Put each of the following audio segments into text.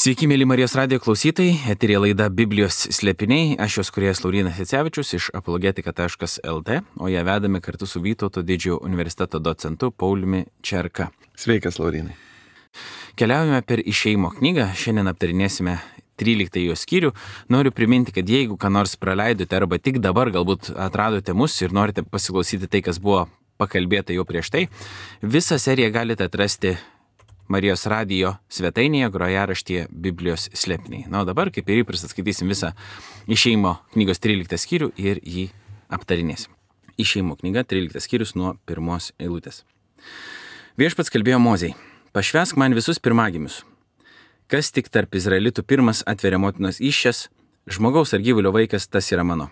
Sveiki, mėly Marijos radijo klausytojai, eterija laida Biblijos slėpiniai, aš jos kūrėjas Laurynas Jacevičius iš apologetika.lt, o ją vedame kartu su Vytauto didžiojo universiteto docentu Pauliumi Čerka. Sveikas, Laurynai. Keliaujame per Išėjimo knygą, šiandien aptarinėsime 13 jos skyrių. Noriu priminti, kad jeigu ką nors praleidote arba tik dabar galbūt atradote mus ir norite pasiklausyti tai, kas buvo pakalbėta jau prieš tai, visą seriją galite atrasti Marijos radijo svetainėje grojaraštyje Biblijos slėpiniai. Na, o dabar, kaip ir įprasta, skaitysim visą Išėjimo knygos 13 skyrių ir jį aptarinėsim. Išėjimo knyga 13 skyrius nuo 1 eilutės. Viešpats kalbėjo Mozei: pašvęsk man visus pirmagimius. Kas tik tarp izraelitų pirmas atveria motinos įsčias, žmogaus ar gyvulio vaikas, tas yra mano.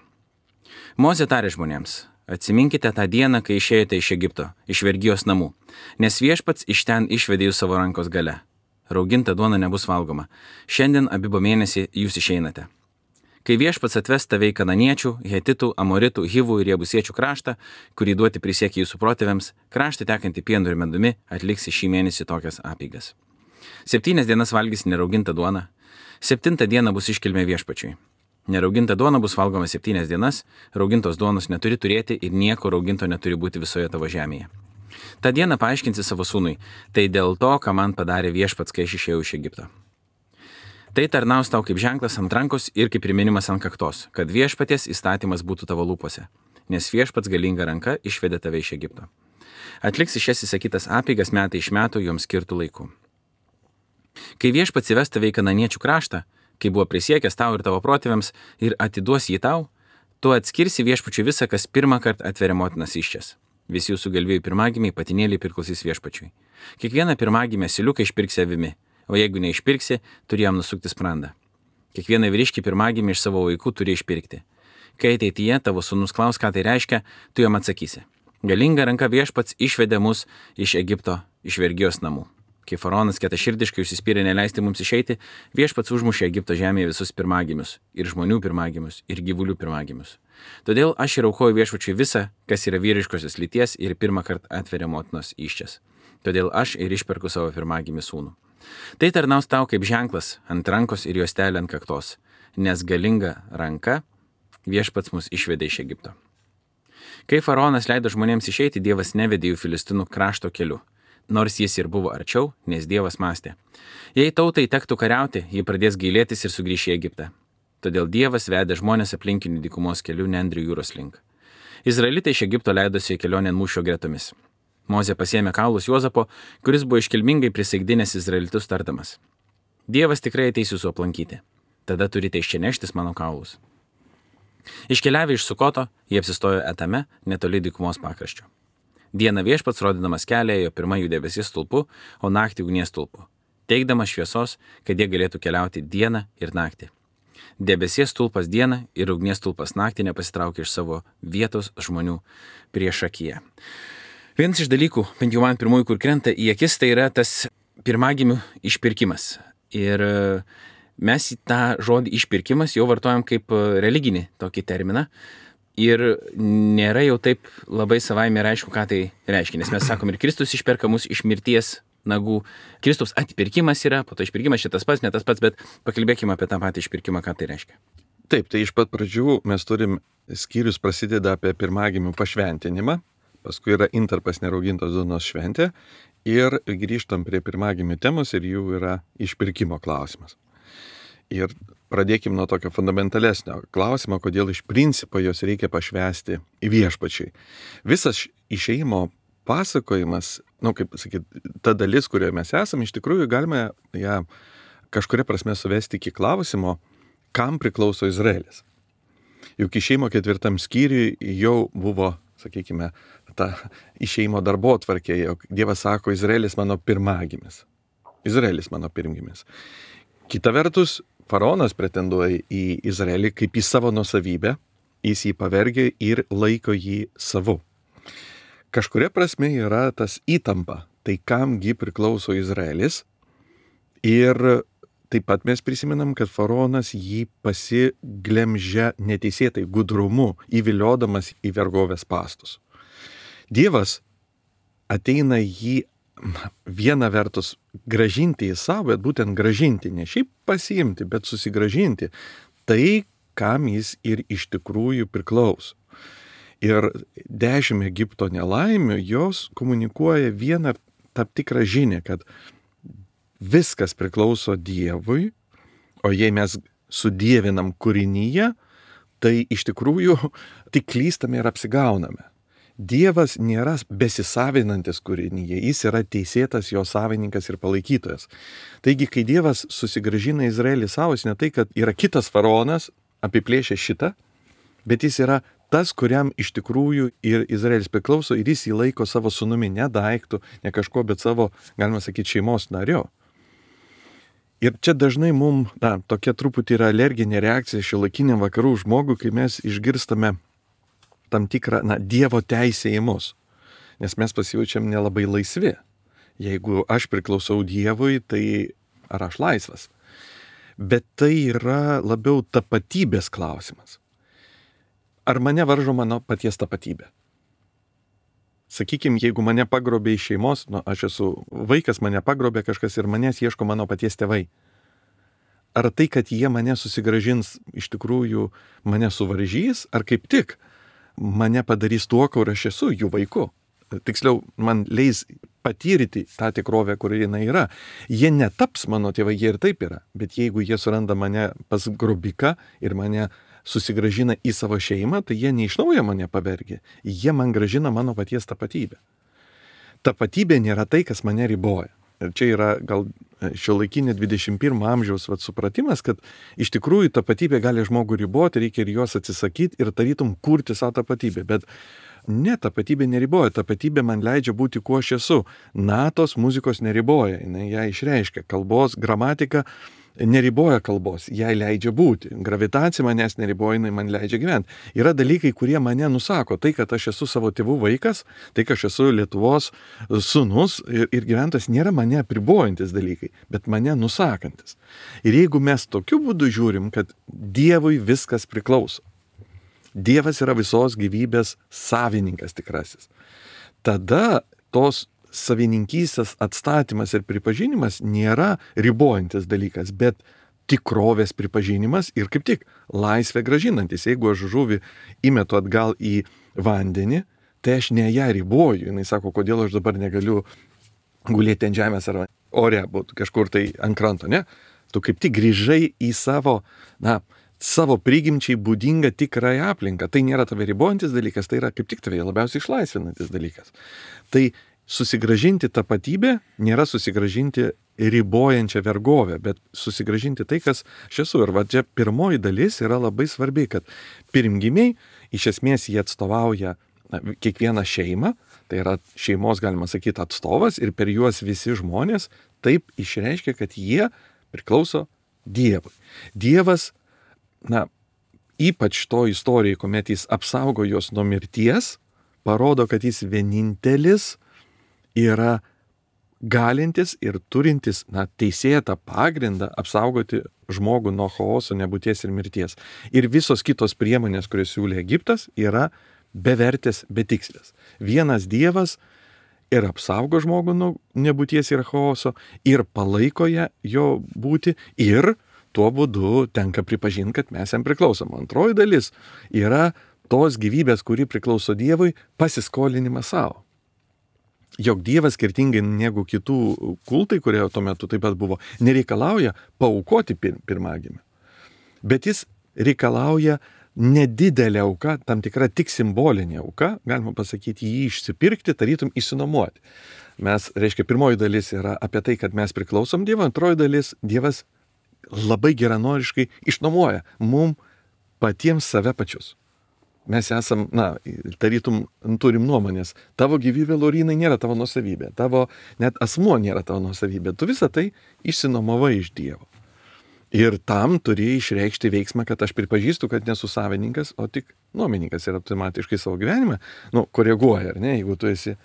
Mozė tarė žmonėms: atsiminkite tą dieną, kai išėjote iš Egipto, iš vergijos namų, nes viešpats iš ten išvedė jūs savo rankos gale. Rauginta duona nebus valgoma. Šiandien Abibo mėnesį jūs išeinate. Kai viešpats atves tave į kananiečių, hetitų, amoritų, hivų ir jebusiečių kraštą, kurį duoti prisiekė jūsų protėviams, kraštą tekantį pienu ir medumi, atliksi šį mėnesį tokias apeigas. 7 dienas valgys neraugintą duoną, 7 dieną bus iškilmė viešpačiui. Nerauginta duona bus valgoma 7 dienas, raugintos duonos neturi turėti ir nieko rauginto neturi būti visoje tavo žemėje. Ta dieną paaiškinsi savo sūnui: tai dėl to, ką man padarė viešpats, kai aš išėjau iš Egipto. Tai tarnaus tau kaip ženklas ant rankos ir kaip priminimas ant kaktos, kad viešpaties įstatymas būtų tavo lūpose, nes viešpats galinga ranka išvedė tave iš Egipto. Atliksi šias įsakytas apeigas metai iš metų joms skirtų laikų. Kai viešpats įves tave į kananiečių kraštą, kai buvo prisiekęs tau ir tavo protėviams, ir atiduos jį tau, tu atskirsi viešpačiui visą, kas pirmą kartą atveria motinas įsčias. Visi jūsų galvijų pirmagimiai patinėliai priklausys viešpačiui. Kiekvieną pirmagimę asiliuką išpirksi avimi, o jeigu neišpirksi, turi jam nusukti sprandą. Kiekvieną vyriškį pirmagimį iš savo vaikų turi išpirkti. Kai ateityje tavo sūnus klaus, ką tai reiškia, tu jam atsakysi: galinga ranka viešpats išvedė mus iš Egipto, iš vergijos namų. Kai faraonas kietaširdiškai užsispyrė neleisti mums išeiti, viešpats užmušė Egipto žemėje visus pirmagimius, ir žmonių pirmagimius, ir gyvulių pirmagimius. Todėl aš ir aukoju viešpačiui visą, kas yra vyriškosios lyties ir pirmą kartą atveria motinos įsčias. Todėl aš ir išperku savo pirmagimį sūnų. Tai tarnaus tau kaip ženklas ant rankos ir juostelė ant kaktos, nes galinga ranka viešpats mus išvedė iš Egipto. Kai faraonas leido žmonėms išeiti, Dievas nevedė jų Filistinų krašto keliu, nors jis ir buvo arčiau, nes Dievas mąstė: jei tautai tektų kariauti, ji pradės gailėtis ir sugrįš į Egiptą. Todėl Dievas vedė žmonės aplinkinių dykumos kelių Nendrių jūros link. Izraelitai iš Egipto leidosi į kelionę mūšio gretomis. Mozė pasiėmė kaulus Juozapo, kuris buvo iškilmingai prisaigdinęs izraelitus tardamas: Dievas tikrai ateis jūsų aplankyti. Tada turite iš čia neštis mano kaulus. Iškeliavę iš Sukoto, jie apsistojo Etame, netoli dykumos pakraščio. Dieną viešpats, rodydamas kelią, ėjo pirma jų debesies stulpu, o naktį ugnies stulpu, teikdamas šviesos, kad jie galėtų keliauti dieną ir naktį. Debesies stulpas dieną ir ugnies stulpas naktį nepasitraukė iš savo vietos žmonių priešakyje. Vienas iš dalykų, bent jau man pirmųjų, kur krenta į akis, tai yra tas pirmagimių išpirkimas. Ir mes tą žodį išpirkimas jau vartojam kaip religinį tokį terminą. Ir nėra jau taip labai savaime ir aišku, ką tai reiškia. Nes mes sakom, ir Kristus išperka mus iš mirties nagų. Kristaus atpirkimas yra, po to išpirkimas čia tas pats, ne tas pats, bet pakalbėkime apie tą patį išpirkimą, ką tai reiškia. Taip, tai iš pat pradžių mes turim skyrius prasideda apie pirmagimių pašventinimą, paskui yra intarpas neraugintos duonos šventė ir grįžtam prie pirmagimių temos ir jų yra išpirkimo klausimas. Ir pradėkim nuo tokio fundamentalesnio klausimo, kodėl iš principo jos reikia pašvęsti viešpačiui. Visas išėjimo pasakojimas, kaip sakyt, ta dalis, kurioje mes esame, iš tikrųjų galime ją kažkuria prasme suvesti iki klausimo, kam priklauso Izraelis. Juk išėjimo 4 skyriui jau buvo, sakykime, ta išėjimo darbotvarkė, jog Dievas sako: Izraelis mano pirmagimis. Izraelis mano pirmgimis. Kita vertus, faraonas pretenduoja į Izraelį kaip į savo nuosavybę, jis jį pavergia ir laiko jį savu. Kažkuria prasme yra tas įtampa, tai kamgi priklauso Izraelis, ir taip pat mes prisimenam, kad faraonas jį pasiglemžia neteisėtai gudrumu, įviliodamas į vergovės spąstus. Dievas ateina jį viena vertus gražinti į savo, bet būtent gražinti, ne šiaip pasiimti, bet susigražinti tai, kam jis ir iš tikrųjų priklauso. Ir 10 Egipto nelaimių jos komunikuoja vieną tam tikrą žinią, kad viskas priklauso Dievui, o jei mes sudievinam kūrinyje, tai iš tikrųjų tik klystame ir apsigauname. Dievas nėra besisavinantis kūrinyje, jis yra teisėtas jo savininkas ir palaikytojas. Taigi, kai Dievas susigrąžina Izraelį savo, jis ne tai, kad yra kitas faraonas, apiplėšė šitą, bet jis yra tas, kuriam iš tikrųjų ir Izraelis priklauso ir jis jį laiko savo sūnumi, ne daiktų, ne kažko, bet savo, galima sakyti, šeimos nariu. Ir čia dažnai mums, tokia truputį yra alerginė reakcija šiuolaikiniam vakarų žmogui, kai mes išgirstame tam tikrą, Dievo teisę į mus. Nes mes pasijaučiam nelabai laisvi. Jeigu aš priklausau Dievui, tai ar aš laisvas? Bet tai yra labiau tapatybės klausimas. Ar mane varžo mano paties tapatybė? Sakykime, jeigu mane pagrobė iš šeimos, aš esu vaikas, mane pagrobė kažkas ir manęs ieško mano paties tėvai. Ar tai, kad jie mane susigrąžins, iš tikrųjų mane suvaržys, ar kaip tik mane padarys tuo, kur aš esu, jų vaiku? Tiksliau, man leis patyryti tą tikrovę, kur jinai yra. Jie netaps mano tėvai, jie ir taip yra. Bet jeigu jie suranda mane pas grobiką ir mane susigrąžina į savo šeimą, tai jie ne iš naujo mane pavergia. Jie man grąžina mano paties tapatybę. Tapatybė nėra tai, kas mane riboja. Ir čia yra gal šiuolaikinė 21 amžiaus supratimas, kad iš tikrųjų tapatybė gali žmogų riboti, reikia ir jos atsisakyti ir tarytum kurti savo tapatybę. Bet ne, tapatybė neriboja, tapatybė man leidžia būti, kuo aš esu. Natos muzikos neriboja, jinai ją išreiškia, kalbos, gramatika neriboja kalbos, jai leidžia būti. Gravitacija manęs neriboja, jinai man leidžia gyventi. Yra dalykai, kurie mane nusako, tai, kad aš esu savo tėvų vaikas, tai, kad aš esu Lietuvos sūnus ir gyventojas, nėra mane apribojantis dalykai, bet mane nusakantis. Ir jeigu mes tokiu būdu žiūrim, kad Dievui viskas priklauso, Dievas yra visos gyvybės savininkas tikrasis, tada tos savininkystės atstatymas ir pripažinimas nėra ribojantis dalykas, bet tikrovės pripažinimas ir kaip tik laisvę gražinantis. Jeigu aš žuvį įmetu atgal į vandenį, tai aš ne ją riboju. Jis sako, kodėl aš dabar negaliu gulėti ant žemės ar ore, kažkur tai ant kranto, ne? Tu kaip tik grįžai į savo prigimčiai būdingą tikrąją aplinką. Tai nėra tave ribojantis dalykas, tai yra kaip tik tave labiausiai išlaisvinantis dalykas. Tai susigražinti tapatybę nėra susigražinti ribojančią vergovę, bet susigražinti tai, kas aš esu. Ir čia pirmoji dalis yra labai svarbi, kad pirmgimiai, iš esmės jie atstovauja kiekvieną šeimą, tai yra šeimos, galima sakyti, atstovas ir per juos visi žmonės taip išreiškia, kad jie priklauso Dievui. Dievas, ypač to istorijai, kuomet jis apsaugo juos nuo mirties, parodo, kad jis vienintelis yra galintis ir turintis teisėtą pagrindą apsaugoti žmogų nuo chaoso, nebūties ir mirties. Ir visos kitos priemonės, kurias siūlė Egiptas, yra bevertės, betikslės. Vienas Dievas ir apsaugo žmogų nuo nebūties ir chaoso, ir palaiko jo būti, ir tuo būdu tenka pripažinti, kad mes jam priklausom. Antroji dalis yra tos gyvybės, kuri priklauso Dievui, pasiskolinimas savo. Jog Dievas, skirtingai negu kitų kultai, kurie tuo metu taip pat buvo, nereikalauja paaukoti pirmagimį. Bet jis reikalauja nedidelę auką, tam tikra tik simbolinė auka, galima pasakyti, jį išsipirkti, tarytum išsinuomoti. Pirmoji dalis yra apie tai, kad mes priklausom Dievui, antroji dalis Dievas labai geranoriškai išnuomoja mum patiems save pačius. Mes esam, tarytum turim nuomonės, tavo gyvybė, Laurynai, nėra tavo nuosavybė, tavo net asmuo nėra tavo nuosavybė, tu visą tai išsinuomavai iš Dievo. Ir tam turi išreikšti veiksmą, kad aš pripažįstu, kad nesu savininkas, o tik nuomininkas ir automatiškai savo gyvenimą, koreguoja, ar ne, jeigu tu esi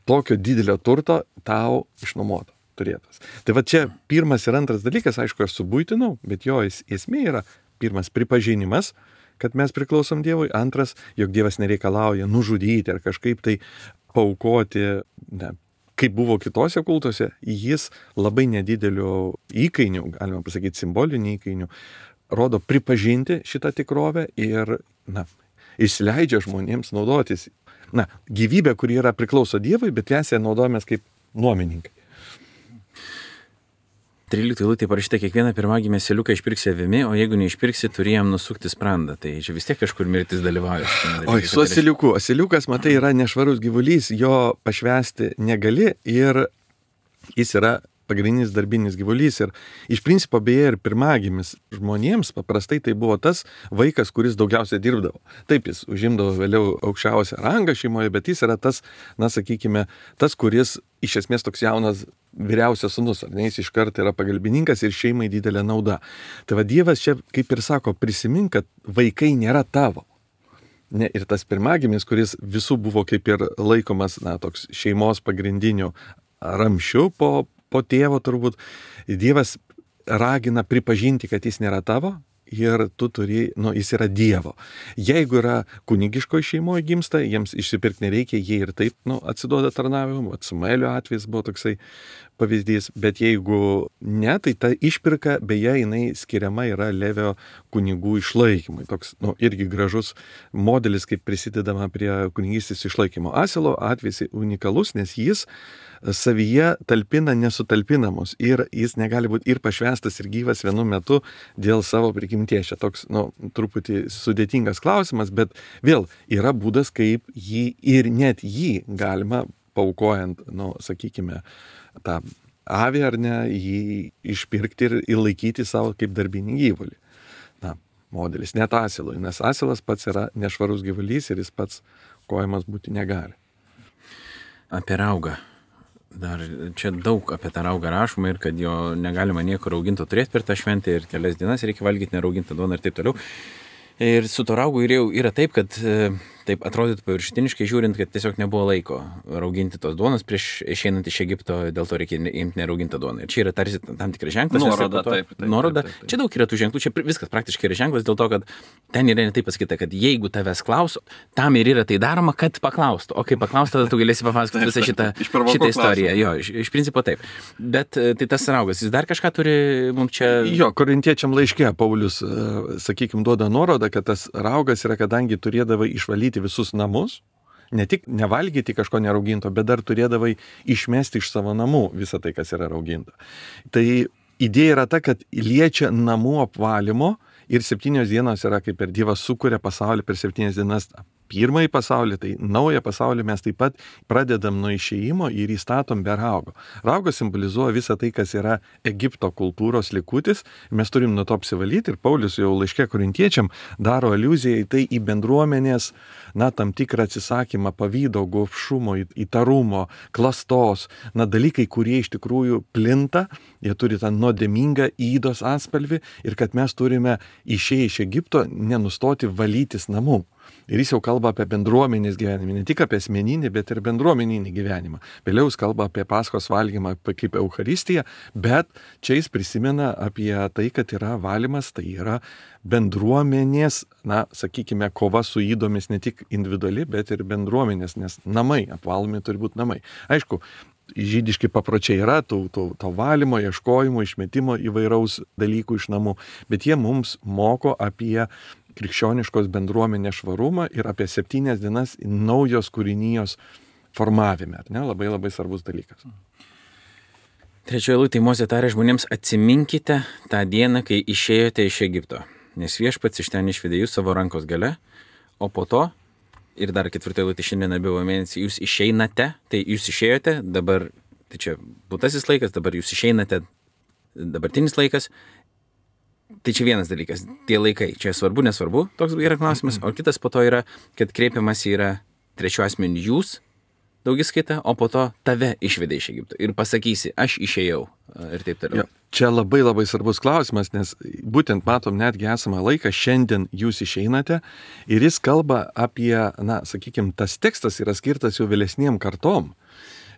tokio didelio turto tau išnuomoto turėtas. Tai va čia pirmas ir antras dalykas, aišku, aš subuitinau, bet jo esmė yra pirmas pripažinimas, kad mes priklausom Dievui, antras, jog Dievas nereikalauja nužudyti ar kažkaip tai paaukoti kaip buvo kitose kultuose, jis labai nedideliu įkainiu, galima pasakyti simboliniu įkainiu, rodo pripažinti šitą tikrovę ir, įsileidžia žmonėms naudotis, gyvybė, kuri yra priklauso Dievui, bet mes ją naudojamės kaip nuomininkai. 13 eilutė parašyta, kiekvieną pirmagimį asiliuką išpirksi avimi, o jeigu neišpirksi, turi jam nusukti sprandą. Tai čia vis tiek kažkur mirtis dalyvauja. Oi, su asiliuku. Asiliukas, matai, yra nešvarus gyvulys, jo pašvęsti negali ir jis yra pagrindinis darbinis gyvulys. Ir iš principo beje ir pirmagimis žmonėms paprastai tai buvo tas vaikas, kuris daugiausiai dirbdavo. Taip, jis užimdavo vėliau aukščiausią rangą šeimoje, bet jis yra tas, sakykime, tas, kuris iš esmės toks jaunas vyriausias sūnus, ar ne, jis iš karto yra pagalbininkas ir šeimai didelė nauda. Tai va Dievas čia, kaip ir sako, prisimink, kad vaikai nėra tavo. Ne, ir tas pirmagimis, kuris visų buvo kaip ir laikomas, toks šeimos pagrindiniu ramščiu po tėvo turbūt, Dievas ragina pripažinti, kad jis nėra tavo ir tu turi, jis yra Dievo. Jeigu yra kunigiškoje šeimoje gimsta, jiems išsipirkti nereikia, jie ir taip, atsiduoda tarnavimu, Samuelio atvejis buvo toksai pavyzdys, bet jeigu ne, tai ta išpirka, beje, jinai skiriama yra Levio kunigų išlaikymui. Toks, irgi gražus modelis, kaip prisidedama prie kunigystės išlaikymo. Asilo atvejis unikalus, nes jis savyje talpina nesutalpinamus ir jis negali būti ir pašvęstas, ir gyvas vienu metu dėl savo prigimties. Čia toks, truputį sudėtingas klausimas, bet vėl yra būdas, kaip jį ir net jį galima paukojant, sakykime, tą avį ar ne, jį išpirkti ir įlaikyti savo kaip darbinį gyvulį. Modelis, net asilui, nes asilas pats yra nešvarus gyvulys ir jis pats kojamas būti negali. Apie raugą. Dar čia daug apie tą raugą rašoma ir kad jo negalima niekur rauginto turėti per tą šventę ir kelias dienas reikia valgyti neraugintą duoną ir taip toliau. Ir su to raugu yra taip, kad taip atrodytų paviršutiniškai žiūrint, kad tiesiog nebuvo laiko rauginti tos duonos prieš išeinant iš Egipto, dėl to reikia imti neraugintą duoną. Ir čia yra tarsi tam tikras ženklas. Nuoroda, taip. Čia daug yra tų ženklų, čia viskas praktiškai yra ženklas dėl to, kad ten yra netai pasakyta, kad jeigu tavęs klauso, tam ir yra tai daroma, kad paklaustų. O kai paklaustų, tada tu galėsi papasakoti visą šitą istoriją. Jo, iš principo taip. Bet tai tas raugas, jis dar kažką turi mums čia... Jo, korintiečiam laiške Paulius, sakykime, duoda nuorodą, kad tas raugas yra, kadangi turėdavai išvalyti visus namus, ne tik nevalgyti kažko nerauginto, bet dar turėdavai išmesti iš savo namų visą tai, kas yra rauginta. Tai idėja yra ta, kad liečia namų apvalymo ir 7 dienos yra, kaip ir Dievas sukuria pasaulį per 7 dienas. Pirmąjį pasaulį, tai naują pasaulį mes taip pat pradedam nuo išėjimo ir įstatom be raugo. Raugas simbolizuoja visą tai, kas yra Egipto kultūros likutis. Mes turim nuo to apsivalyti ir Paulius jau laiške korintiečiam daro aliuziją į tai, į bendruomenės, tam tikrą atsisakymą pavydo, gobšumo, įtarumo, klastos, dalykai, kurie iš tikrųjų plinta, jie turi tą nuodėmingą įdos atspalvį ir kad mes turime išėję iš Egipto nenustoti valytis namų. Ir jis jau kalba apie bendruomenės gyvenimą, ne tik apie asmeninį, bet ir bendruomeninį gyvenimą. Vėliau jis kalba apie Paskos valgymą kaip Eucharistiją, bet čia jis prisimena apie tai, kad yra valymas, tai yra bendruomenės, sakykime, kova su įdomis ne tik individuali, bet ir bendruomenės, nes namai, apvalomi turi būti namai. Aišku, žydiški papročiai yra to valymo, ieškojimo, išmetimo įvairaus dalykų iš namų, bet jie mums moko apie krikščioniškos bendruomenės švarumą ir apie 7 dienas naujos kūrinijos formavime. Ne? Labai labai svarbus dalykas. 3 eilutė Mozė tarė žmonėms: atsiminkite tą dieną, kai išėjote iš Egipto, nes Viešpats iš ten išvedė jūs savo rankos gale, o po to, ir dar 4 eilutė šiandien abiejų mėnesį, jūs išeinate, tai jūs išėjote, dabar, tai čia būtasis laikas, dabar jūs išeinate, dabartinis laikas. Tai čia vienas dalykas, tie laikai, čia svarbu, nesvarbu, toks yra klausimas, o kitas po to yra, kad kreipiamas yra trečiu asmeniu jūs, daugiskaita, o po to tave išvedė iš Egipto ir pasakysi, aš išėjau ir taip toliau. Čia labai labai svarbus klausimas, nes būtent matom netgi esamą laiką, šiandien jūs išeinate ir jis kalba apie, sakykime, tas tekstas yra skirtas jau vėlesniem kartom,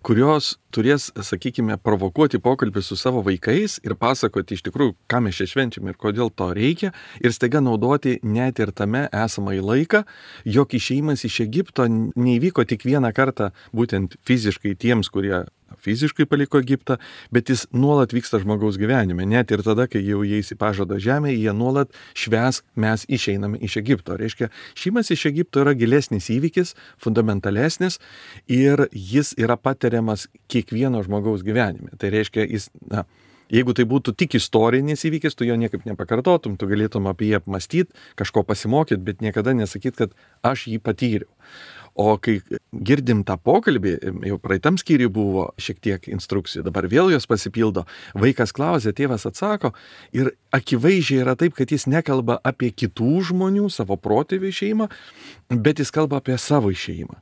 kurios turės, sakykime, provokuoti pokalbį su savo vaikais ir pasakoti iš tikrųjų, ką mes čia švenčiam ir kodėl to reikia, ir staiga naudoti net ir tame esamąjį laiką, jog išėjimas iš Egipto neįvyko tik vieną kartą, būtent fiziškai tiems, kurie fiziškai paliko Egiptą, bet jis nuolat vyksta žmogaus gyvenime. Net ir tada, kai jau jie į pažado žemę, jie nuolat švęs, mes išeiname iš Egipto. Reiškia, šeimas iš Egipto yra gilesnis įvykis, fundamentalesnis ir jis yra patiriamas kiekvieno žmogaus gyvenime. Tai reiškia, jeigu tai būtų tik istorinis įvykis, tu jo niekaip nepakartotum, tu galėtum apie jį apmastyti, kažko pasimokyti, bet niekada nesakyti, kad aš jį patyriau. O kai girdim tą pokalbį, jau praeitam skyriui buvo šiek tiek instrukcijų, dabar vėl jos pasipildo, vaikas klausia, tėvas atsako ir akivaizdžiai yra taip, kad jis nekalba apie kitų žmonių, savo protėvių šeimą, bet jis kalba apie savo šeimą.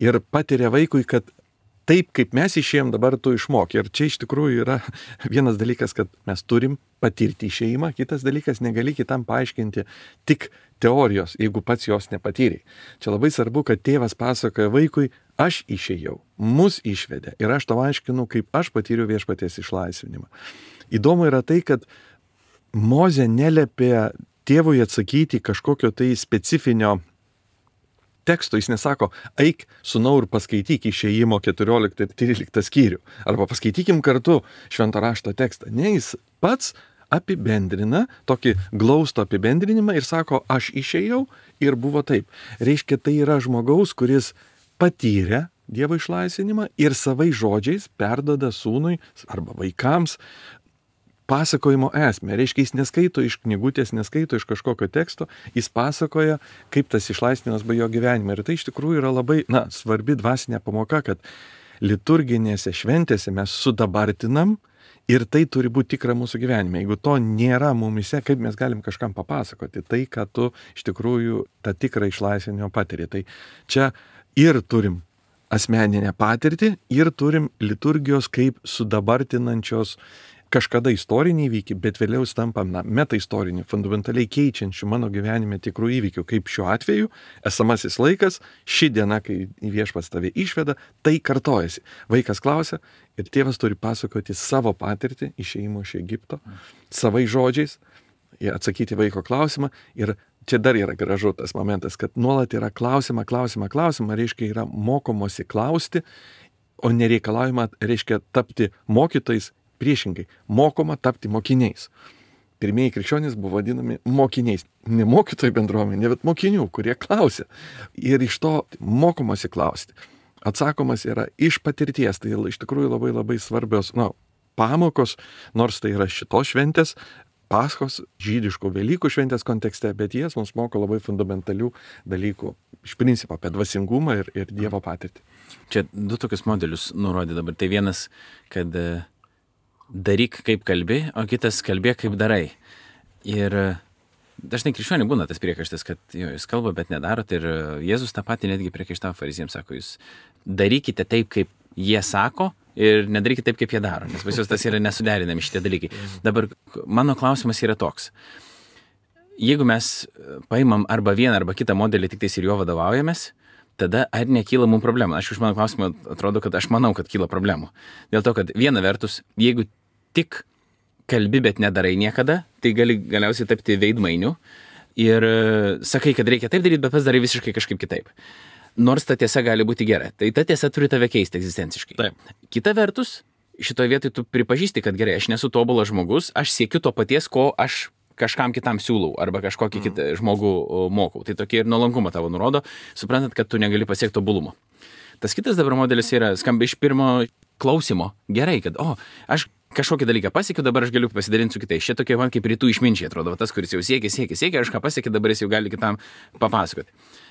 Ir patiria vaikui, kad taip, kaip mes išėjom, dabar tu išmok. Ir čia iš tikrųjų yra vienas dalykas, kad mes turim patirti šeimą, kitas dalykas, negali kitam paaiškinti tik teorijos, jeigu pats jos nepatyrei. Čia labai svarbu, kad tėvas pasakoja vaikui, aš išėjau, mus išvedė ir aš tau aiškinu, kaip aš patyriau viešpaties išlaisvinimą. Įdomu yra tai, kad Mozė neliepė tėvui atsakyti kažkokio tai specifinio teksto, jis nesako, eik sūnau ir paskaityk Išėjimo 14 ir 13 skyrių, arba paskaitykim kartu švento rašto tekstą. Ne, jis pats apibendrina, tokį glaustų apibendrinimą ir sako, aš išėjau ir buvo taip. Reiškia, tai yra žmogaus, kuris patyrė Dievo išlaisvinimą ir savais žodžiais perduoda sūnui arba vaikams pasakojimo esmę. Reiškia, jis neskaito iš knygutės, neskaito iš kažkokio teksto, jis pasakoja, kaip tas išlaisvinimas buvo jo gyvenime. Ir tai iš tikrųjų yra labai, svarbi dvasinė pamoka, kad liturginėse šventėse mes sudabartinam ir tai turi būti tikra mūsų gyvenime. Jeigu to nėra mumise, kaip mes galim kažkam papasakoti tai, ką tu iš tikrųjų tą tikrą išlaisvinimą patiri. Tai čia ir turim asmeninę patirtį ir turim liturgijos kaip sudabartinančios kažkada istorinį įvykį, bet vėliau tampam metaistorinį, fundamentaliai keičiančių mano gyvenime tikrų įvykių, kaip šiuo atveju esamasis laikas, ši diena, kai viešpats tave išveda, tai kartojasi. Vaikas klausia ir tėvas turi pasakoti savo patirtį išėjimo iš Egipto, savai žodžiais, atsakyti vaiko klausimą ir čia dar yra gražu tas momentas, kad nuolat yra klausimą, reiškia yra mokomosi klausti, o nereikalaujama reiškia tapti mokytojais. Priešingai, mokoma tapti mokiniais. Pirmieji krikščionys buvo vadinami mokiniais. Ne mokytojų bendruomenė, bet mokinių, kurie klausia. Ir iš to mokomasi klausti. Atsakomas yra iš patirties. Tai iš tikrųjų labai labai svarbios pamokos, nors tai yra šitos šventės, Paschos, žydiškų Velykų šventės kontekste, bet jas mums moko labai fundamentalių dalykų. Iš principo apie dvasingumą ir Dievo patirtį. Čia du tokius modelius nurodė dabar. Tai vienas, kad daryk kaip kalbi, o kitas kalbėk kaip darai. Ir dažnai krikščioniai būna tas priekaištas, kad jūs kalba, bet nedarot. Ir Jėzus tą patį netgi priekaištavo fariziems, sako, jūs darykite taip, kaip jie sako ir nedarykite taip, kaip jie daro. Nes pas jūs tas yra nesuderinami šitie dalykai. Dabar mano klausimas yra toks. Jeigu mes paimam arba vieną arba kitą modelį, tik tais ir jo vadovaujamės, tada ar nekyla mums problemų? Aš iš mano klausimą atrodo, kad aš manau, kad kyla problemų. Dėl to, kad viena vertus, jeigu tik kalbi, bet nedarai niekada, tai gali galiausiai tapti veidmainiu ir sakai, kad reikia taip daryti, bet pats darai visiškai kažkaip kitaip. Nors ta tiesa gali būti gera. Tai ta tiesa turi tave keisti egzistenciškai. Taip. Kita vertus, šitoje vietoje tu pripažįsti, kad gerai, aš nesu tobulas žmogus, aš siekiu to paties, ko aš kažkam kitam siūlau arba kažkokį kitą žmogų mokau. Tai tokie ir nuolankumą tavo nurodo, suprantant, kad tu negali pasiekti tobulumo. Tas kitas dabar modelis yra skamba iš pirmo klausimo. Gerai, kad aš kažkokį dalyką pasiekiu, dabar aš galiu pasidalinti su kitais. Šie tokie man kaip rytų išminčiai atrodo, tas, kuris jau siekia, aš ką pasiekiu, dabar jis jau gali kitam papasakoti.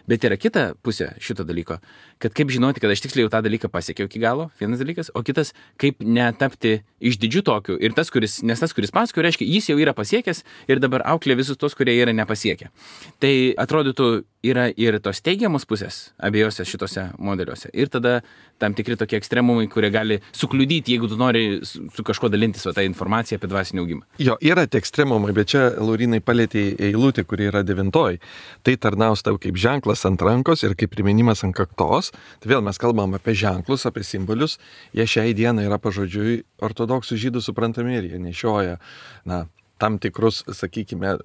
Bet yra kita pusė šito dalyko, kad kaip žinoti, kad aš tiksliai jau tą dalyką pasiekiau iki galo, vienas dalykas, o kitas, kaip netapti išdidžiu tokiu. Ir tas, kuris pasakoja, reiškia, jis jau yra pasiekęs ir dabar auklė visus tos, kurie yra nepasiekę. Tai atrodytų, yra ir tos teigiamos pusės abiejose šitose modeliuose. Ir tada tam tikri tokie ekstremumai, kurie gali sukliudyti, jeigu tu nori su kažko dalintis tą informaciją apie dvasinį augimą. Jo, yra tie ekstremumai, bet čia Laurinai palėtė eilutė, kuri yra 9. Tai tarnaus tau kaip ženklas ant rankos ir kaip priminimas ant kaktos. Tai vėl mes kalbam apie ženklus, apie simbolius. Jie šiai dienai yra pažodžiui ortodoksų žydų suprantami ir jie nešioja tam tikrus, sakykime,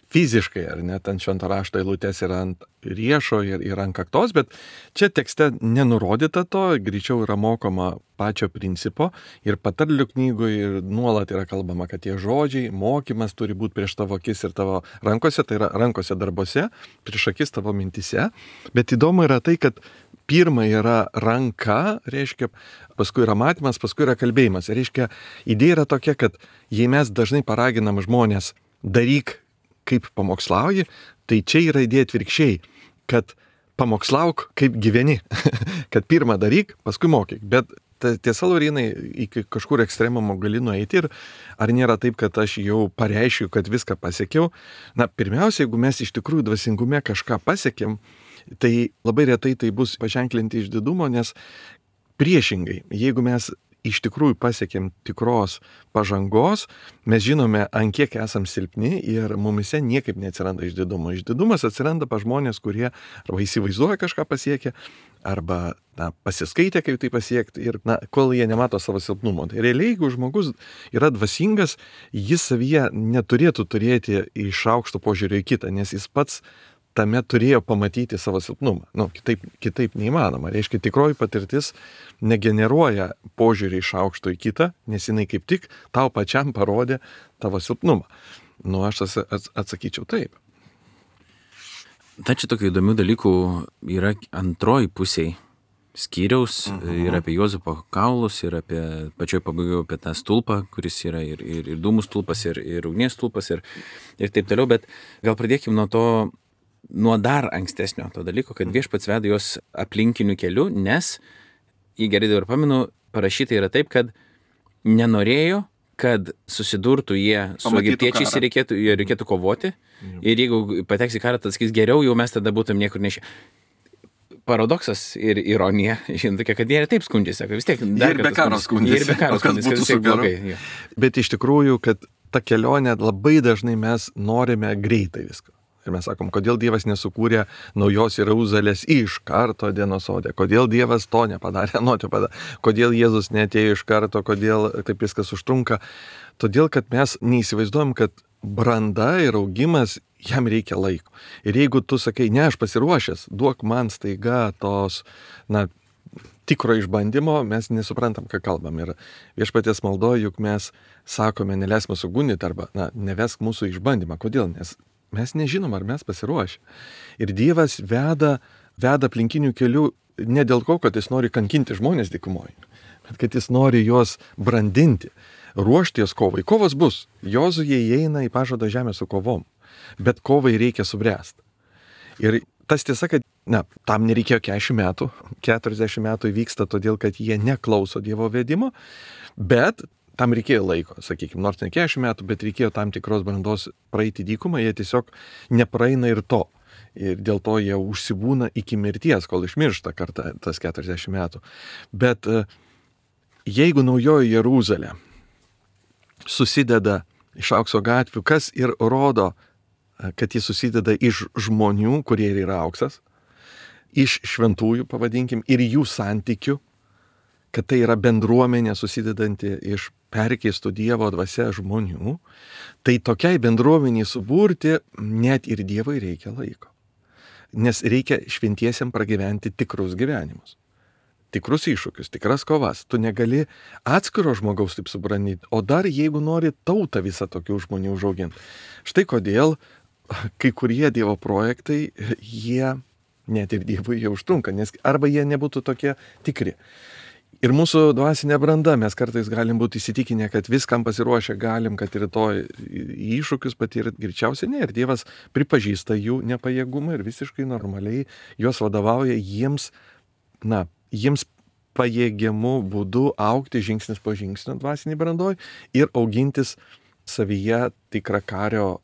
fiziškai, ar net ant švento rašto eilutės yra ant riešo ir ant kaktos, bet čia tekste nenurodyta to, greičiau yra mokoma pačio principo ir patarlių knygoje ir nuolat yra kalbama, kad tie žodžiai, mokymas turi būti prieš tavo akis ir tavo rankose, tai yra rankose darbuose, prieš akis tavo mintise, bet įdomu yra tai, kad pirma yra ranka, reiškia, paskui yra matymas, paskui yra kalbėjimas. Reiškia, idėja yra tokia, kad jei mes dažnai paraginam žmonės daryk kaip pamokslauji, tai čia yra idėja atvirkščiai, kad pamokslauk kaip gyveni, kad pirmą daryk, paskui mokyk. Bet tiesa, Laurynai, iki kažkur ekstremumo gali nueiti ir ar nėra taip, kad aš jau pareiškiu, kad viską pasiekiau. Na, pirmiausia, jeigu mes iš tikrųjų dvasingume kažką pasiekėm, tai labai retai tai bus paženklinti išdidumo, nes priešingai, jeigu mes iš tikrųjų pasiekėm tikros pažangos, mes žinome, ant kiek esam silpni ir mumise niekaip neatsiranda išdidumo. Išdidumas atsiranda pa žmonės, kurie arba įsivaizduoja kažką pasiekę, arba pasiskaitė, kaip tai pasiekti ir kol jie nemato savo silpnumo. Tai realiai, jeigu žmogus yra dvasingas, jis savyje neturėtų turėti iš aukšto požiūrio į kitą, nes jis pats tame turėjo pamatyti savo silpnumą. Kitaip neįmanoma. Reiškia, tikroji patirtis negeneruoja požiūrį iš aukšto į kitą, nes jinai kaip tik tau pačiam parodė tavo silpnumą. Aš atsakyčiau taip. Tačiau tokių įdomių dalykų yra antroji pusėje skyriaus ir apie Juozapo kaulus, ir apie pačioj pabaigoje apie tą stulpą, kuris yra ir dūmų stulpas, ir ugnies stulpas, ir taip toliau. Bet gal pradėkime nuo dar ankstesnio to dalyko, kad Viešpats veda juos aplinkiniu keliu, nes, jei gerai dabar pamenu, parašyta yra taip, kad nenorėjo, kad susidurtų jie su egiptiečiais ir reikėtų kovoti. Ir jeigu pateks į karą, tad sakys, geriau jau mes tada būtum niekur nešę. Paradoksas ir ironija, žinote, kad jie taip skundžiasi, sako, vis tiek dar ir be karo skundžiasi, kad vis tiek blogai. Bet iš tikrųjų, kad ta kelionė labai dažnai mes norime greitai viską. Ir mes sakom, kodėl Dievas nesukūrė naujos Jeruzalės iš karto dienos sode, kodėl Dievas to nepadarė, kodėl Jėzus neatėjo iš karto, kodėl taip viskas užtrunka. Todėl, kad mes neįsivaizduojam, kad branda ir augimas, jam reikia laiko. Ir jeigu tu sakai, ne, aš pasiruošęs, duok man staiga tos, tikro išbandymo, mes nesuprantam, ką kalbam. Ir Viešpaties maldoje, juk mes sakome, neleisk mūsų gundyti arba, nevesk mūsų išbandymą. Kodėl? Nes mes nežinom, ar mes pasiruošę. Ir Dievas veda aplinkinių kelių ne dėl ko, kad jis nori kankinti žmonės dykumoje, bet kad jis nori juos brandinti, ruošti juos kovai. Kovos bus. Jozuė įeina į pažadą žemę su kovom, bet kovai reikia subręsti. Ir tas tiesa, kad tam nereikėjo 40 metų, 40 metų įvyksta todėl, kad jie neklauso Dievo vedimo, bet tam reikėjo laiko, sakykime, nors ne 40 metų, bet reikėjo tam tikros brandos praeiti dykumą, jie tiesiog nepraeina ir to. Ir dėl to jie užsibūna iki mirties, kol išmiršta kartą tas 40 metų. Bet jeigu naujoji Jeruzalė susideda iš aukso gatvių, kas ir rodo, kad jis susideda iš žmonių, kurie yra auksas, iš šventųjų, pavadinkim, ir jų santykių, kad tai yra bendruomenė susidedanti iš perkeistų Dievo dvasia žmonių, tai tokiai bendruomeniai suburti net ir Dievui reikia laiko. Nes reikia šventiesiam pragyventi tikrus gyvenimus, tikrus iššūkius, tikras kovas. Tu negali atskiro žmogaus taip subrandyti, o dar jeigu nori tautą visą tokių žmonių užauginti. Štai kodėl kai kurie Dievo projektai, jie net ir Dievui jau užtrunka, nes arba jie nebūtų tokie tikri. Ir mūsų dvasinė branda, mes kartais galim būti įsitikinę, kad viskam pasiruošę galim, kad rytoj iššūkius patirti, greičiausiai ne. Ir Dievas pripažįsta jų nepajėgumą ir visiškai normaliai juos vadovauja jiems pajėgiamų būdų augti žingsnis po žingsnio dvasiniai brandoj ir augintis savyje tikrą kario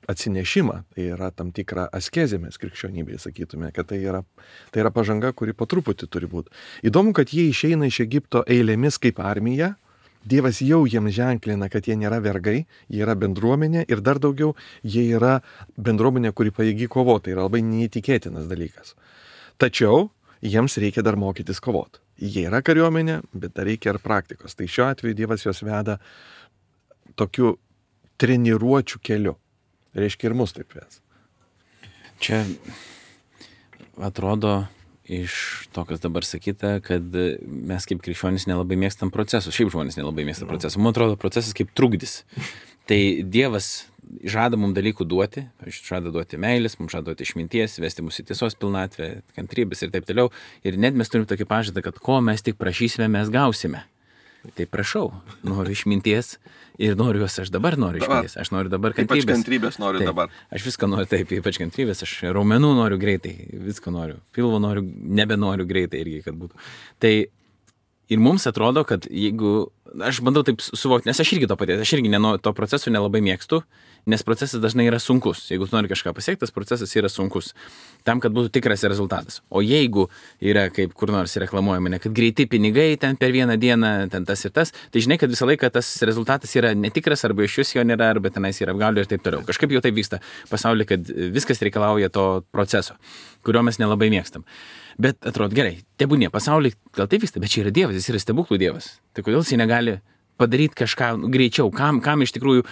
atsinešimą. Tai yra tam tikra askezė, mes krikščionybėje sakytume, kad tai yra pažanga, kuri po truputį turi būti. Įdomu, kad jie išeina iš Egipto eilėmis kaip armija. Dievas jau jiems ženklina, kad jie nėra vergai, jie yra bendruomenė ir dar daugiau, jie yra bendruomenė, kuri pajėgi kovoti. Tai yra labai neįtikėtinas dalykas. Tačiau jiems reikia dar mokytis kovoti. Jie yra kariuomenė, bet dar reikia ir praktikos. Tai šiuo atveju Dievas juos veda tokiu treniruočių keliu. reiškia ir mus taip ves. Čia atrodo iš to, kas dabar sakyta, kad mes kaip krikščionys nelabai mėgstam procesų. Šiaip žmonės nelabai mėgsta procesų. Man atrodo, procesas kaip trukdis. Tai Dievas žada mums dalykų duoti, žada duoti meilės, mums žada duoti išminties, vesti mus į tiesos pilnatvę, kantrybės ir taip toliau. Ir net mes turim tokį pažadą, kad ko mes tik prašysime, mes gausime. Tai prašau, noriu išminties ir noriu jos, aš dabar noriu išminties, aš noriu dabar kantrybės. Ypač kantrybės noriu taip, dabar. Aš viską noriu taip, ypač kantrybės, aš raumenų noriu greitai, viską noriu, pilvo noriu, nebenoriu greitai irgi, kad būtų. Tai ir mums atrodo, kad jeigu, aš bandau taip suvokti, nes aš irgi to paties, aš irgi to proceso nelabai mėgstu, nes procesas dažnai yra sunkus. Jeigu tu nori kažką pasiekti, tas procesas yra sunkus. Tam, kad būtų tikras rezultatas. O jeigu yra, kaip kur nors reklamuojama, kad greiti pinigai ten per vieną dieną, ten tas ir tas, tai žinai, kad visą laiką tas rezultatas yra netikras, arba iš vis jo nėra, arba tenais yra apgaulė ir taip toliau. Kažkaip jau taip vyksta pasaulyje, kad viskas reikalauja to proceso, kurio mes nelabai mėgstam. Bet atrodo, gerai, tebūnie, pasaulyje gal taip vyksta, bet čia yra Dievas, jis yra stebuklų Dievas. Tai kodėl jis negali padaryti kažką greičiau, kam iš tikrųjų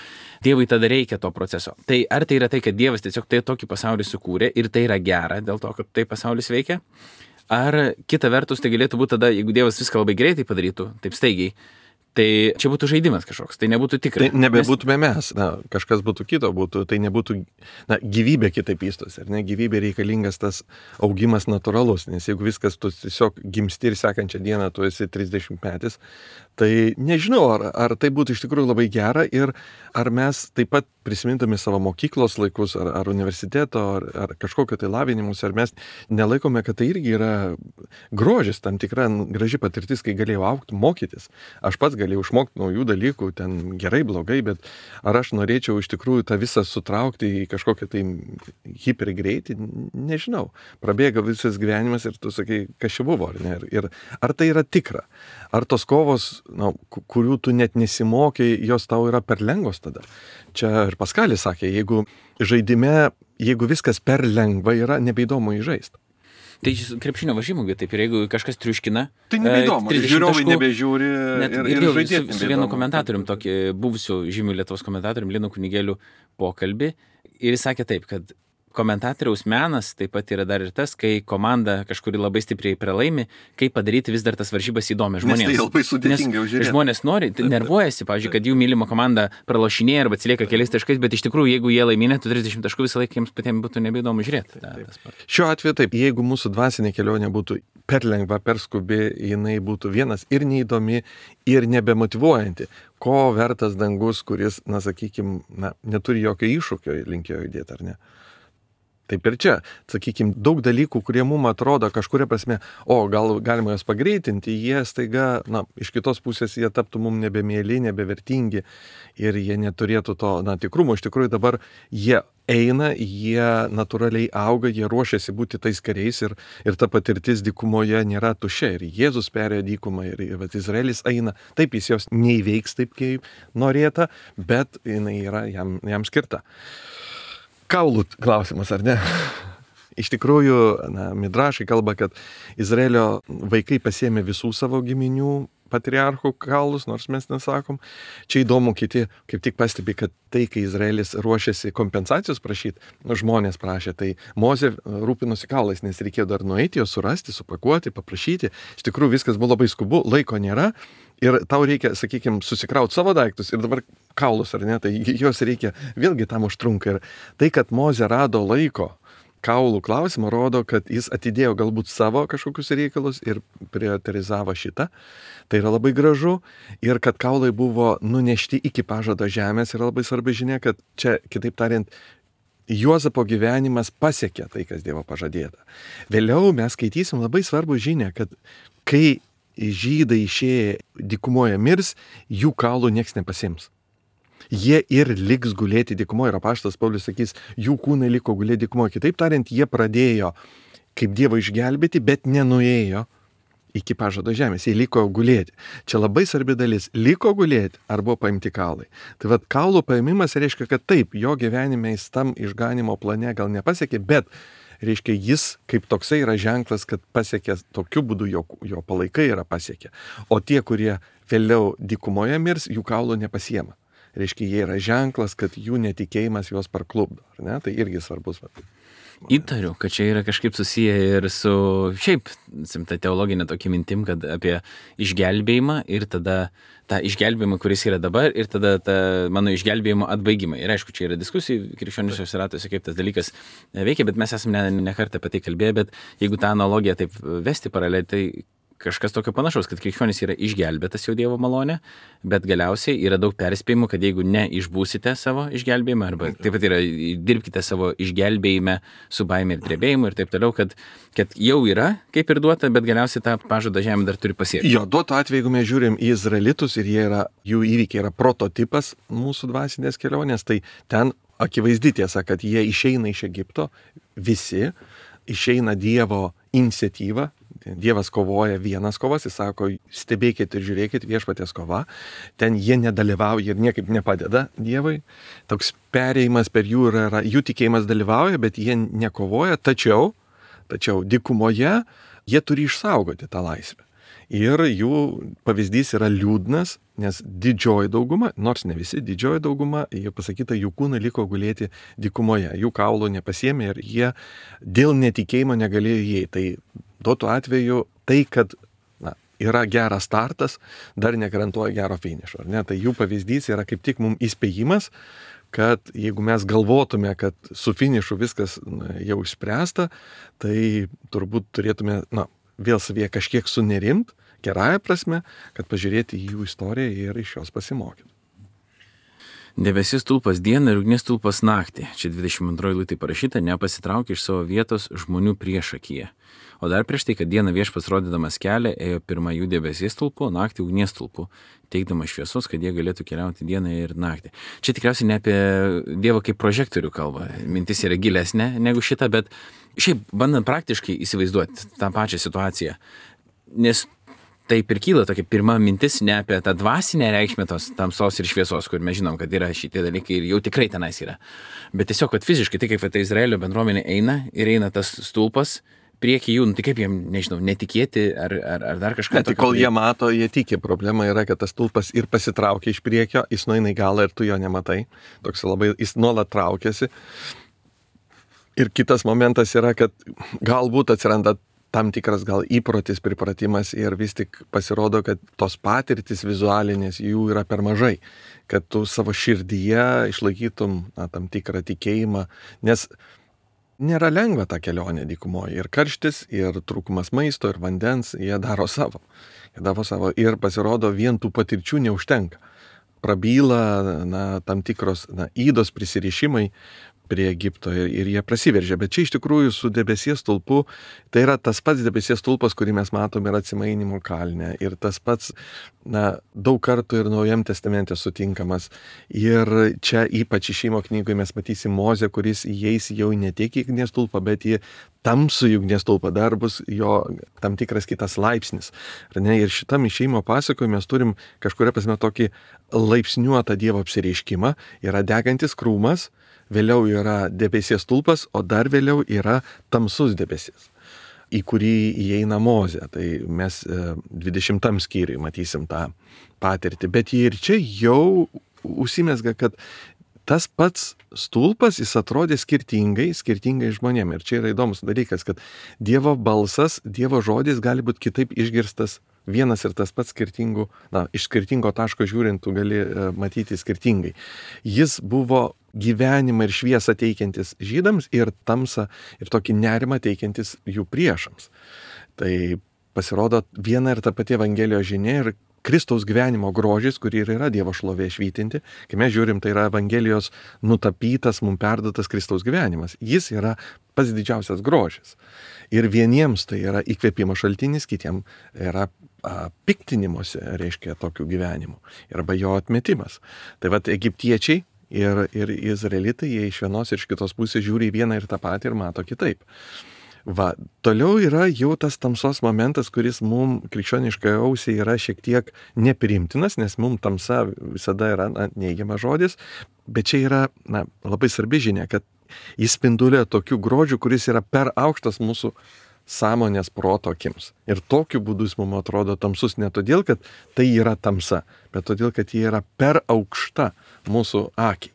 Dievui tada reikia to proceso. Tai ar tai yra tai, kad Dievas tiesiog tai tokį pasaulį sukūrė ir tai yra gera dėl to, kad tai pasaulis veikia? Ar kita vertus tai galėtų būti tada, jeigu Dievas viską labai greitai padarytų, taip staigiai, tai čia būtų žaidimas kažkoks, tai nebūtų tikra. Tai nebebūtume mes, kažkas būtų kito, tai nebūtų, gyvybė kitaip vystosi, ar ne, gyvybė reikalingas tas augimas natūralus, nes jeigu viskas tu tiesiog gimsti ir sekančią dieną tu esi 30 metais, tai nežinau, ar tai būtų iš tikrųjų labai gera ir ar mes taip pat prisimintami savo mokyklos laikus, ar universiteto, ar kažkokio tai lavinimus, ar mes nelaikome, kad tai irgi yra grožis, tam tikra graži patirtis, kai galėjau augti, mokytis. Aš pats galėjau išmokti naujų dalykų, ten gerai, blogai, bet ar aš norėčiau iš tikrųjų tą visą sutraukti į kažkokią tai hipergreitį, nežinau. Prabėga visas gyvenimas ir tu sakai, kas čia buvo, ar ne? Ir ar tai yra tikra? Ar tos kovos, kurių tu net nesimokai, jos tau yra per lengvos tada? Čia ir Paskalis sakė, jeigu žaidime, jeigu viskas per lengva yra, nebeįdomu įžaisti. Tai krepšinio varžymų, taip, ir jeigu kažkas triuškina, tai nebeįdomu, žiūrovai nebežiūri ir žaidėti. Su vienu komentatorium, tokį buvusiu žymiu Lietuvos komentatorium, Linu Kunigėliu pokalbį, ir jis sakė taip, kad komentatoriaus menas taip pat yra dar ir tas, kai komanda kažkuri labai stipriai pralaimi, kaip padaryti vis dar tas varžybas įdomias žmonėms. Nes tai labai sudėtinga žiūrėti. Žmonės nori, nervuojasi, pavyzdžiui, kad jų mylima komanda pralošinėja arba atsilieka keliais taškais, bet iš tikrųjų, jeigu jie laiminėtų 30 taškų, visą laiką jiems patiems būtų nebeįdomu žiūrėti. Šiuo atveju taip, jeigu mūsų dvasinė kelionė būtų per lengva, per skubi, jinai būtų vienas ir neįdomi, ir nebemotyvuojanti. Ko vertas dangus, kuris, neturi jokio iššūkio linkėjo judėti, ar ne? Taip ir čia, sakykime, daug dalykų, kurie mums atrodo kažkuria prasme, gal galima jas pagreitinti, jie staiga, iš kitos pusės jie taptų mums nebemėly, nebevertingi ir jie neturėtų to, tikrumo. Iš tikrųjų dabar jie eina, jie natūraliai auga, jie ruošiasi būti tais kariais ir ta patirtis dykumoje nėra tuščia. Ir Jėzus perėjo dykumą ir Izraelis eina, taip jis jos neįveiks taip, kaip norėta, bet jinai yra jam skirta. Kaulų klausimas, ar ne? Iš tikrųjų, midrašai kalba, kad Izraelio vaikai pasiėmė visų savo giminių patriarchų kaulus, nors mes nesakom. Čia įdomu, kiti kaip tik pastebi, kad tai, kai Izraelis ruošiasi kompensacijos prašyti, žmonės prašė, tai Mozė rūpinosi kaulais, nes reikėjo dar nueiti, juos surasti, supakuoti, paprašyti. Iš tikrųjų, viskas buvo labai skubu, laiko nėra. Ir tau reikia, sakykime, susikrauti savo daiktus ir dabar kaulus, ar ne, tai jos reikia, vėlgi tam užtrunka. Ir tai, kad Mozė rado laiko kaulų klausimą, rodo, kad jis atidėjo galbūt savo kažkokius reikalus ir prioritizavo šitą. Tai yra labai gražu. Ir kad kaulai buvo nunešti iki pažado žemės yra labai svarbi žinia, kad čia, kitaip tariant, Juozapo gyvenimas pasiekė tai, kas Dievo pažadėta. Vėliau mes skaitysim labai svarbų žinią, kad kai žydai išėję dykumoje mirs, jų kaulų nieks nepasiims. Jie ir liks gulėti dykumoje. Ir apaštalas Paulius sakys, jų kūnai liko gulėti dykumoje. Kitaip tariant, jie pradėjo kaip Dievą išgelbėti, bet nenuėjo iki pažado žemės. Jie liko gulėti. Čia labai svarbi dalis. Liko gulėti arba paimti kaulai. Tai kaulų paimimas reiškia, kad taip, jo gyvenime jis tam išganimo plane gal nepasiekė, bet reiškia, jis kaip toksai yra ženklas, kad pasiekė tokiu būdu, jo palaikai yra pasiekę. O tie, kurie vėliau dykumoje mirs, jų kaulų nepasiema. reiškia, jie yra ženklas, kad jų netikėjimas juos parklupdo, ar ne? Tai irgi svarbus. Įtariu, kad čia yra kažkaip susiję ir su šiaip ta teologinė tokia mintim, kad apie išgelbėjimą ir tada tą išgelbėjimą, kuris yra dabar, ir tada tą mano išgelbėjimo atbaigimą. Ir aišku, čia yra diskusijų krikščioniškose ratuose, kaip tas dalykas veikia, bet mes esame ne kartą apie tai kalbėję, bet jeigu tą analogiją taip vesti paraleliai, tai kažkas tokio panašaus, kad krikščionis yra išgelbėtas jau Dievo malonė, bet galiausiai yra daug perspėjimų, kad jeigu neišbūsite savo išgelbėjimą, arba taip pat yra dirbkite savo išgelbėjime su baime ir drebėjimu ir taip toliau, kad jau yra kaip ir duota, bet galiausiai tą pažadą žemė dar turi pasiekti. Jo, duoto atveju, jeigu mes žiūrim į izraelitus ir jų įvykiai yra prototipas mūsų dvasinės kelionės, tai ten akivaizdi tiesa, kad jie išeina iš Egipto, visi išeina Dievo iniciatyva. Dievas kovoja vienas kovas, jis sako, stebėkit ir žiūrėkit, viešpaties kova. Ten jie nedalyvauja ir niekaip nepadeda Dievui. Toks perėjimas per jų yra, jų tikėjimas dalyvauja, bet jie nekovoja. Tačiau dykumoje jie turi išsaugoti tą laisvę. Ir jų pavyzdys yra liūdnas, nes didžioji dauguma, nors ne visi, didžioji dauguma, jie pasakyta, jų kūnai liko gulėti dykumoje. Jų kaulų nepasiėmė ir jie dėl netikėjimo negalėjo įeiti. Tai duotų atveju tai, kad yra geras startas, dar negarantuoja gero finišo. Tai jų pavyzdys yra kaip tik mums įspėjimas, kad jeigu mes galvotume, kad su finišu viskas jau išspręsta, tai turbūt turėtume vėl savyje kažkiek sunerimt, gerąją prasme, kad pažiūrėti į jų istoriją ir iš jos pasimokyti. Debesis stulpas dieną ir ugnies stulpas naktį. Čia 22 eilutė parašyta, nepasitraukė iš savo vietos žmonių priešakyje. O dar prieš tai, kad dieną viešpats rodydamas kelią, ėjo pirma jų debesies stulpu, naktį ugnies stulpu, teikdamas šviesos, kad jie galėtų keliauti dieną ir naktį. Čia tikriausiai ne apie Dievą kaip prožektorių kalba. Mintis yra gilesnė negu šita, bet šiaip bandant praktiškai įsivaizduoti tą pačią situaciją. Nes taip ir kyla tokia pirma mintis ne apie tą dvasinę reikšmę tos tamsos ir šviesos, kur mes žinom, kad yra šitie dalykai ir jau tikrai tenais yra. Bet tiesiog, kad fiziškai, tai kaip tai Izraelio bendruomenė eina tas stulpas, prieki jų, tai kaip jiem, nežinau, netikėti ar dar kažką. Tai kol jie mato, jie tiki. Problema yra, kad tas stulpas ir pasitraukia iš priekio, jis nueina į galą ir tu jo nematai. Toks labai, jis nuolat traukiasi. Ir kitas momentas yra, kad galbūt atsiranda tam tikras gal įprotis, pripratimas ir vis tik pasirodo, kad tos patirtis vizualinės jų yra per mažai, kad tu savo širdyje išlaikytum tam tikrą tikėjimą, nes nėra lengva ta kelionė dykumoje. Ir karštis, ir trūkumas maisto, ir vandens, jie daro savo. Ir pasirodo, vien tų patirčių neužtenka. Prabyla tam tikros ydos prisirišimai prie Egipto ir jie prasiveržia. Bet čia iš tikrųjų su debesies stulpu, tai yra tas pats debesies stulpas, kurį mes matome ir Atsimainimo kalne. Ir tas pats daug kartų ir Naujam testamente sutinkamas. Ir čia ypač Išėjimo knygoje mes matysim Mozę, kuris įeis jau ne tiek į ugnies stulpą, bet į tamsų ugnies stulpą. Dar bus jo tam tikras kitas laipsnis. Ir šitam Išėjimo pasakojime mes turim kažkuria prasme tokį laipsniuotą Dievo apsireiškimą. Yra degantis krūmas, vėliau yra debesies stulpas, o dar vėliau yra tamsus debesis, į kurį įeina Mozė. Tai mes 20 skyriui matysim tą patirtį. Bet ir čia jau užsimezga, kad tas pats stulpas, jis atrodė skirtingai žmonėm. Ir čia yra įdomus dalykas, kad Dievo balsas, Dievo žodis gali būti kitaip išgirstas vienas ir tas pats skirtingų, iš skirtingo taško žiūrint, tu gali matyti skirtingai. Jis buvo gyvenimą ir šviesą teikiantis žydams ir tamsą ir tokį nerimą teikiantis jų priešams. Tai pasirodo viena ir ta pati Evangelijos žinia ir Kristaus gyvenimo grožis, kurį ir yra Dievo šlovė švytinti. Kai mes žiūrim, tai yra Evangelijos nutapytas, mums perduotas Kristaus gyvenimas. Jis yra pats didžiausias grožis. Ir vieniems tai yra įkvėpimo šaltinis, kitiems yra piktinimuose, reiškia, tokių gyvenimų. Arba jo atmetimas. Tai vat egiptiečiai ir izraelitai, jie iš vienos ir iš kitos pusės žiūri į vieną ir tą patį ir mato kitaip. Toliau yra jau tas tamsos momentas, kuris mums krikščioniškai ausiai yra šiek tiek nepriimtinas, nes mums tamsa visada yra neigiamas žodis, bet čia yra labai svarbi žinia, kad jis spindulia tokių grožių, kuris yra per aukštas mūsų sąmonės proto akims. Ir tokiu būdu jis mums atrodo tamsus ne todėl, kad tai yra tamsa, bet todėl, kad jie yra per aukšta mūsų akiai.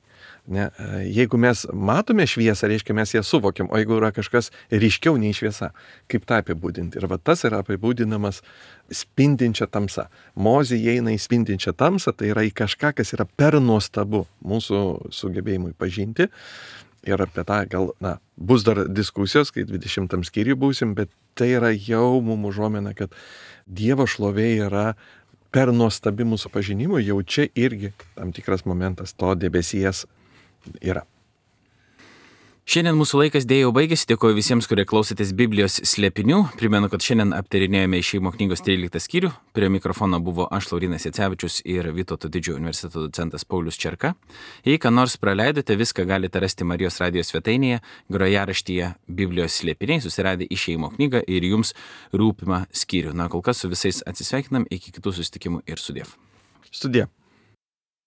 Ne, jeigu mes matome šviesą, reiškia mes ją suvokiam, o jeigu yra kažkas ryškiau nei šviesa, kaip tą apibūdinti? Ir va tas yra apibūdinamas spindinčia tamsa. Mozė įeina į spindinčią tamsą, tai yra į kažką, kas yra per nuostabu mūsų sugebėjimui pažinti. Ir apie tą gal, bus dar diskusijos, kai 20 skyriui būsim, bet tai yra jau mums užuomina, kad Dievo šlovė yra per nuostabi mūsų pažinimui, jau čia irgi tam tikras momentas to debesies yra. Šiandien mūsų laikas dėja jau baigėsi, dėkoju visiems, kurie klausėtės Biblijos slėpinių. Primenu, kad šiandien aptarinėjome Išėjimo knygos 13 skyrių. Prie mikrofono buvo aš, Laurynas Jacevičius, ir Vytauto Didžiojo universiteto docentas Paulius Čerka. Jei ką nors praleidote, viską galite rasti Marijos radijos svetainėje, grojaraštyje Biblijos slėpiniai, susiradę Išėjimo knygą ir jums rūpimą skyrių. Kol kas su visais atsisveikinam, iki kitų susitikimų ir sudiev. Sudie.